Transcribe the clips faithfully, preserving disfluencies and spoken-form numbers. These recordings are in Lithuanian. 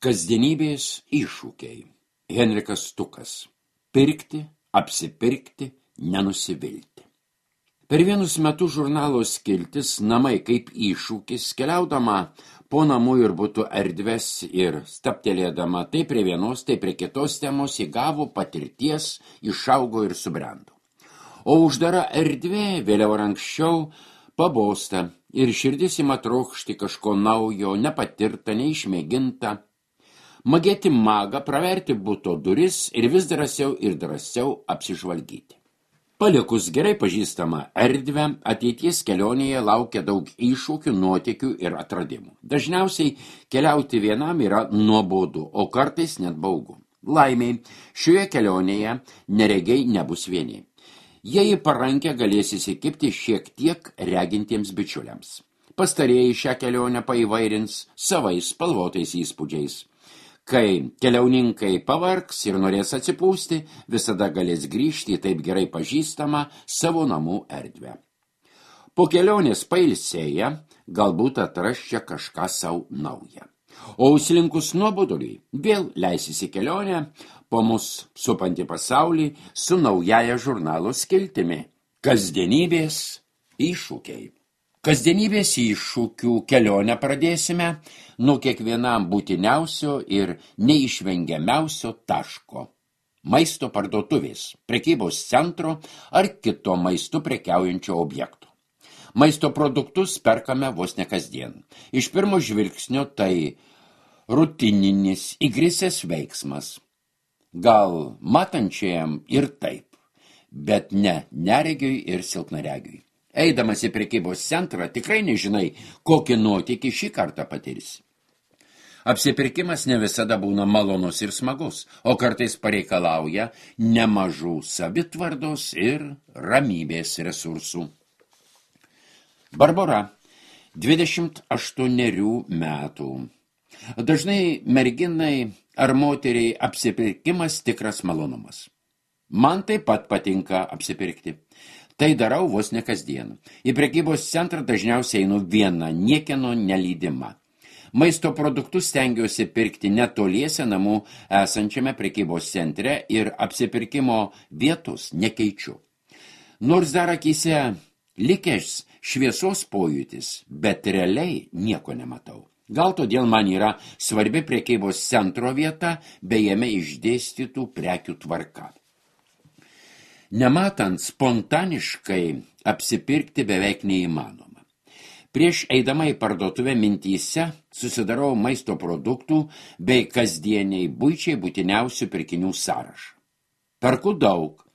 Kasdienybės iššūkiai. Henrikas Stukas. Pirkti, apsipirkti, nenusivilti. Per vienus metus žurnalo skiltis Namai kaip iššūkis, keliaudama po namų ir butų erdves ir staptelėdama tai prie vienos, tai prie kitos temos įgavo patirties, išaugo ir subrendo. O uždara erdvė vėliau ar anksčiau pabosta ir širdis ima trokšti kažko naujo, nepatirta, neišmėginta. Magėti magą, praverti buto duris ir vis drąsiau ir drąsiau apsižvalgyti. Palikus gerai pažįstamą erdvę, ateities kelionėje laukia daug iššūkių, nuotykių ir atradimų. Dažniausiai keliauti vienam yra nuobodu, o kartais net baugu. Laimiai, šioje kelionėje neregiai nebus vieni. Jie į parankę galės įsikibti šiek tiek regintiems bičiuliams. Pastarieji šią kelionę paįvairins savais spalvotais įspūdžiais. Kai keliauninkai pavargs ir norės atsipūsti, visada galės grįžti į taip gerai pažįstamą savo namų erdvę. Po kelionės pailsėję, galbūt atras čia kažką savo naują. O užslinkus nuoboduliui, vėl leisis į kelionę po mus supantį pasaulį su naujaja žurnalo skiltimi. Kasdienybės iššūkiai. Kasdienybės iššūkių kelionę pradėsime nuo kiekvienam būtiniausio ir neišvengiamiausio taško. Maisto parduotuvės, prekybos centro ar kito maistu prekiaujančio objekto. Maisto produktus perkame vos ne kasdien. Iš pirmo žvilgsnio tai rutininis įgrisęs veiksmas. Gal matančiajam ir taip, bet ne neregiui ir silpnaregiui. Eidamas į prekybos centrą tikrai nežinai, kokį nuotykį šį kartą patirsi. Apsipirkimas ne visada būna malonus ir smagus, o kartais pareikalauja nemažų savitvardos ir ramybės resursų. Barbora, dvidešimt aštuonerių metų. Dažnai merginai ar moteriai apsipirkimas tikras malonumas. Man taip pat patinka apsipirkti. Tai darau vos ne kasdien. Į prekybos centrą dažniausiai einu viena, niekieno nelydima. Maisto produktus stengiuosi pirkti netoliese namų esančiame prekybos centre ir apsipirkimo vietos nekeičiu. Nors dar akyse likęs šviesos pojūtis, bet realiai nieko nematau. Gal todėl man yra svarbi prekybos centro vieta, bei jame išdėstytų prekių tvarka. Nematant spontaniškai apsipirkti beveik neįmanoma. Prieš eidama į parduotuvę mintyse susidarau maisto produktų bei kasdieniai buičiai būtiniausių pirkinių sąrašą. Perku daug.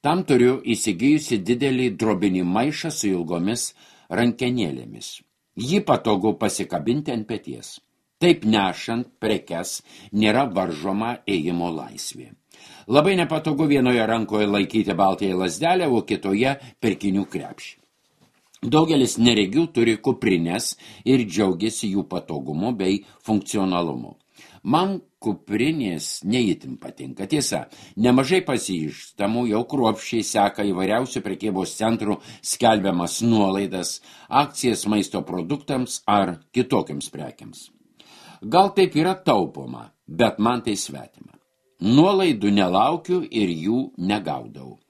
Tam turiu įsigijusi didelį drobinį maišą su ilgomis rankenėlėmis. Jį patogu pasikabinti ant peties. Taip nešant prekes nėra varžoma ėjimo laisvė. Labai nepatogu vienoje rankoje laikyti baltąją lazdelę, o kitoje pirkinių krepšį. Daugelis neregių turi kuprinės ir džiaugiasi jų patogumu bei funkcionalumu. Man kuprinės neįtin patinka. Tiesa, nemažai pasižtamų jau kruopščiai seka įvairiausių prekybos centrų skelbiamas nuolaidas, akcijas maisto produktams ar kitokiams prekiams. Gal taip yra taupoma, bet man tai svetima. Nuolaidų nelaukiu ir jų negaudau.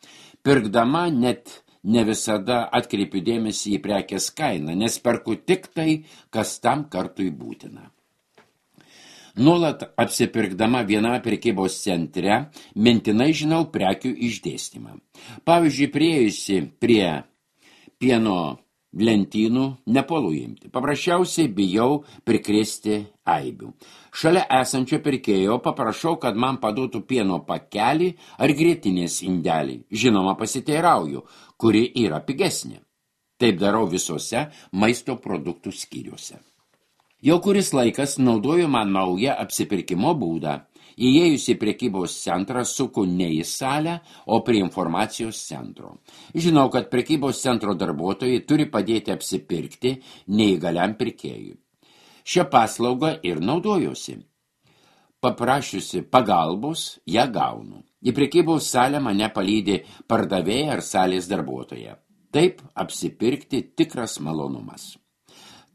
Pirkdama net ne visada atkreipiu dėmesį į prekės kainą, nes perku tik tai, kas tam kartui būtina. Nuolat apsipirkdama viename prekybos centre, mintinai žinau prekių išdėstymą. Pavyzdžiui, priėjusi prie pieno lentynų nepolu imti. Paprasčiausiai bijau prikrėsti aibių. Šalia esančio pirkėjo paprašau, kad man paduotų pieno pakelį ar grietinės indelį. Žinoma, pasiteirauju, kuri yra pigesnė. Taip darau visose maisto produktų skyriuose. Jau kuris laikas naudoju man naują apsipirkimo būdą. Įėjus į prekybos centrą suku ne į salę, o prie informacijos centro. Žinau, kad prekybos centro darbuotojai turi padėti apsipirkti neįgaliam pirkėjui. Šią paslaugą ir naudojuosi. Paprašiusi pagalbos, ją gaunu. Į prekybos salę mane palydi pardavėja ar salės darbuotoja. Taip apsipirkti tikras malonumas.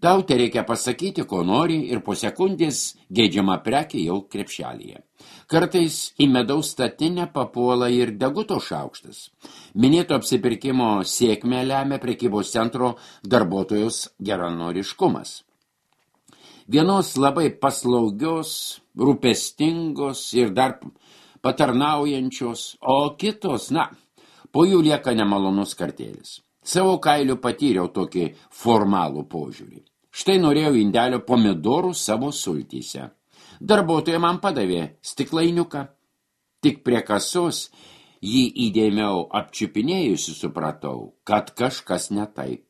Tau tereikia pasakyti, ko nori ir po sekundės geidžiama prekė jau krepšelėje. Kartais į medaus statinę papuola ir deguto šaukštas. Minėto apsipirkimo sėkmę lemia prekybos centro darbuotojos geranoriškumas. Vienos labai paslaugios, rūpestingos ir dar patarnaujančios, o kitos, na, po jų lieka nemalonus kartėlis. Savo kailiu patyriau tokį formalų požiūrį. Štai norėjau indelio pomidorų savo sultyse. Darbuotoja man padavė stiklainiuką. Tik prie kasos jį įdėmiau apčiupinėjusi supratau, kad kažkas ne taip.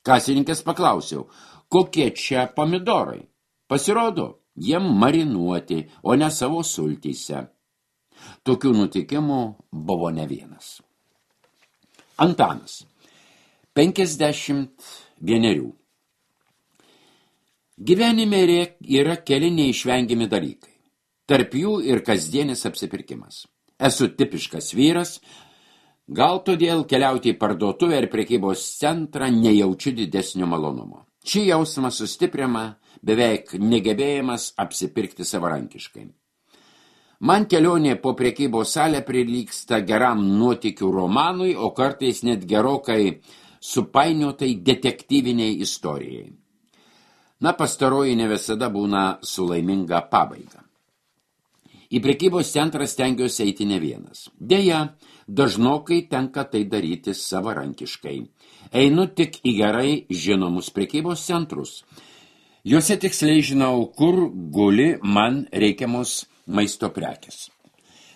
Kasininkės paklausiau, kokie čia pomidorai. Pasirodo, jie marinuoti, o ne savo sultyse. Tokių nutikimų buvo ne vienas. Antanas, penkiasdešimt vienerių. Gyvenime yra keli neišvengiami dalykai. Tarp jų ir kasdienis apsipirkimas. Esu tipiškas vyras, gal todėl keliauti į parduotuvę ir prekybos centrą nejaučiu didesnio malonumo. Šį jausmą sustiprina beveik negebėjimas apsipirkti savarankiškai. Man kelionė po prekybos salę prilygsta geram nuotykių romanui, o kartais net gerokai supainiotai detektyviniai istorijai. Na, pastaroji ne visada būna su laiminga pabaiga. Į prekybos centrą stengiuosi eiti ne vienas. Deja, dažnokai tenka tai daryti savarankiškai. Einu tik į gerai žinomus prekybos centrus. Juose tiksliai žinau, kur guli man reikiamos maisto prekės.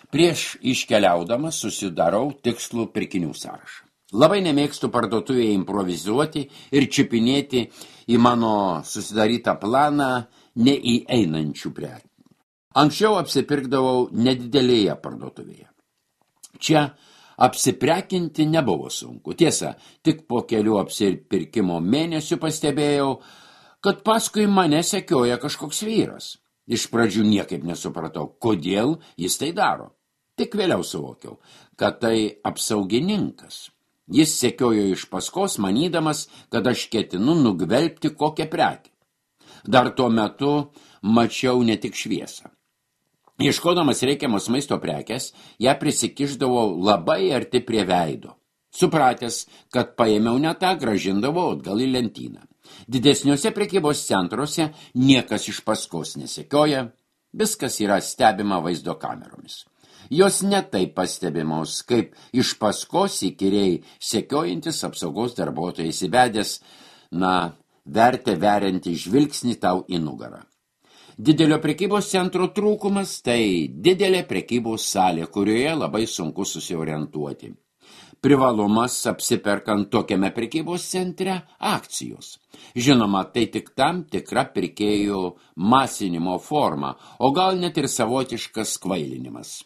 Prieš iškeliaudamas susidarau tikslų pirkinių sąrašą. Labai nemėgstu parduotuvėje improvizuoti ir čiupinėti į mano susidarytą planą neįeinančių prekių. Anksčiau apsipirkdavau nedidelėje parduotuvėje. Čia apsiprekinti nebuvo sunku. Tiesa, tik po kelių apsipirkimo mėnesių pastebėjau, kad paskui mane sekioja kažkoks vyras. Iš pradžių niekaip nesupratau, kodėl jis tai daro. Tik vėliau suvokiau, kad tai apsaugininkas. Jis sekiojo iš paskos, manydamas, kad aš ketinu nugvelbti kokią prekę. Dar tuo metu mačiau ne tik šviesą. Ieškodamas reikiamos maisto prekės, ją prisikišdavau labai arti prie veido. Supratęs, kad paėmiau ne tą, grąžindavau atgal į lentyną. Didesniuose prekybos centruose niekas iš paskos nesekioja, viskas yra stebima vaizdo kameromis. Jos netaip pastebimos, kaip iš paskos įkyriai sekiojantis apsaugos darbuotojas įvedęs, na, vertę veriantį žvilgsnį tau į nugarą. Didelio prekybos centro trūkumas tai didelė prekybos salė, kurioje labai sunku susiorientuoti. Privalumas apsiperkant tokiame prekybos centre akcijos. Žinoma, tai tik tam tikra pirkėjų masinimo forma, o gal net ir savotiškas kvailinimas.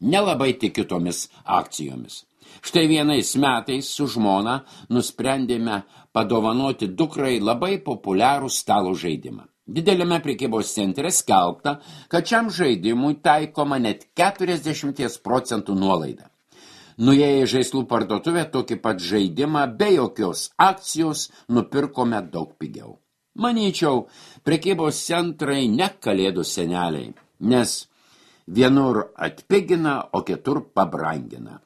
Nelabai tikiu tomis akcijomis. Štai vienais metais su žmona nusprendėme padovanoti dukrai labai populiarų stalo žaidimą. Dideliame prekybos centre skelbta, kad šiam žaidimui taikoma net keturiasdešimt procentų nuolaida. Nuėję į žaislų parduotuvę tokį pat žaidimą be jokios akcijos nupirkome daug pigiau. Manyčiau, prekybos centrai ne kalėdų seneliai, nes vienur atpigina, o kitur pabrangina.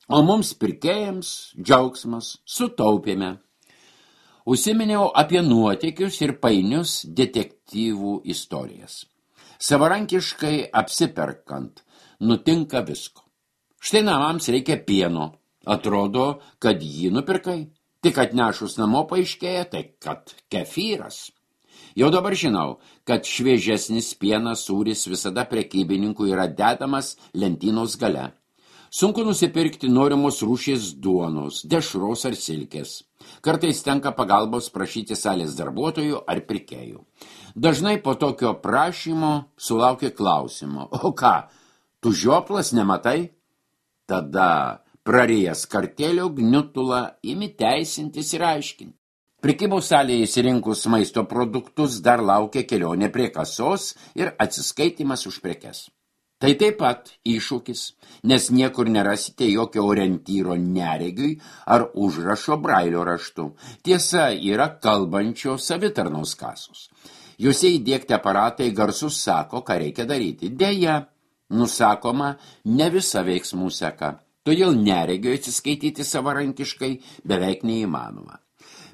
O mums pirkėjams džiaugsmas, sutaupėme. Užsiminiau apie nuotykius ir painius detektyvų istorijas. Savarankiškai apsiperkant nutinka visko. Štai namams reikia pieno. Atrodo, kad jį nupirkai. Tik atnešus namo paaiškėja, tai kad kefyras. Jau dabar žinau, kad šviežesnis pienas sūris visada prekybininkų yra dedamas lentynos gale. Sunku nusipirkti norimos rūšies duonos, dešros ar silkės. Kartais tenka pagalbos prašyti salės darbuotojų ar pirkėjų. Dažnai po tokio prašymo sulaukia klausimo, o ką, tu žioplas nematai? Tada prarijęs kartėlio gniutulą imi teisintis ir aiškinti. Prekybos salėje įsirinkus maisto produktus dar laukia kelionė prie kasos ir atsiskaitimas už prekes. Tai taip pat iššūkis, nes niekur nerasite jokio orientyro neregiui ar užrašo brailio raštu. Tiesa, yra kalbančio savitarnos kasos. Juose įdiegti aparatai garsus sako, ką reikia daryti. Deja, nusakoma, ne visa veiksmų seka. Todėl neregiui atsiskaityti savarankiškai beveik neįmanoma.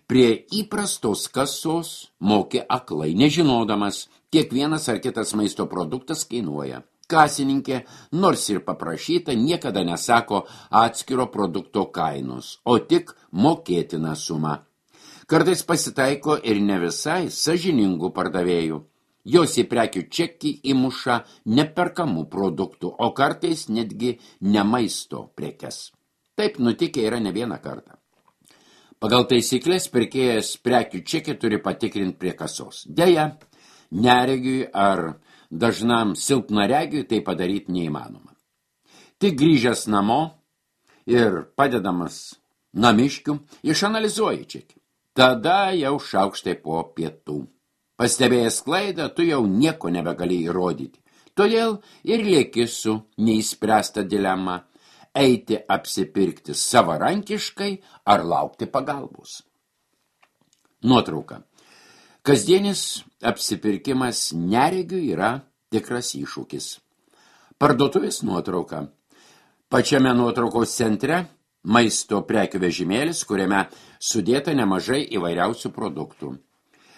Prie įprastos kasos moki aklai, nežinodamas, kiek vienas ar kitas maisto produktas kainuoja. Kasininkė, nors ir paprašyta, niekada nesako atskiro produkto kainos, o tik mokėtina suma. Kartais pasitaiko ir ne visai sąžiningų pardavėjų. Jos į prekių čekį įmuša neperkamų produktų, o kartais netgi ne maisto prekes. Taip nutikę yra ne vieną kartą. Pagal taisyklės pirkėjas prekių čekį turi patikrinti prie kasos. Deja, neregiui ar dažnam silpnaregiui tai padaryti neįmanoma. Tik grįžęs namo ir padedamas namiškių išanalizuoji čekį. Tada jau šaukštai po pietų. Pastebėjęs klaidą, tu jau nieko nebegali įrodyti. Todėl ir lieki su neįspręsta dilema – eiti apsipirkti savarankiškai ar laukti pagalbos. Nuotrauka. Kasdienis apsipirkimas neregiui yra tikras iššūkis. Parduotuvės nuotrauka. Pačiame nuotraukos centre maisto prekių vežimėlis, kuriame sudėta nemažai įvairiausių produktų.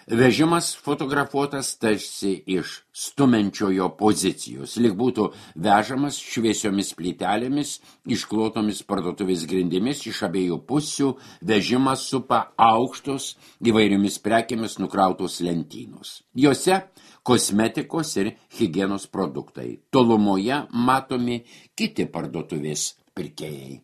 Vežimas fotografuotas tarsi iš stumenčiojo pozicijos, lyg būtų vežamas šviesiomis plytelėmis, išklotomis parduotuvės grindimis iš abiejų pusių, vežimas supa aukštos įvairiomis prekėmis nukrautos lentynos. Jose kosmetikos ir higienos produktai. Tolumoje matomi kiti parduotuvės pirkėjai.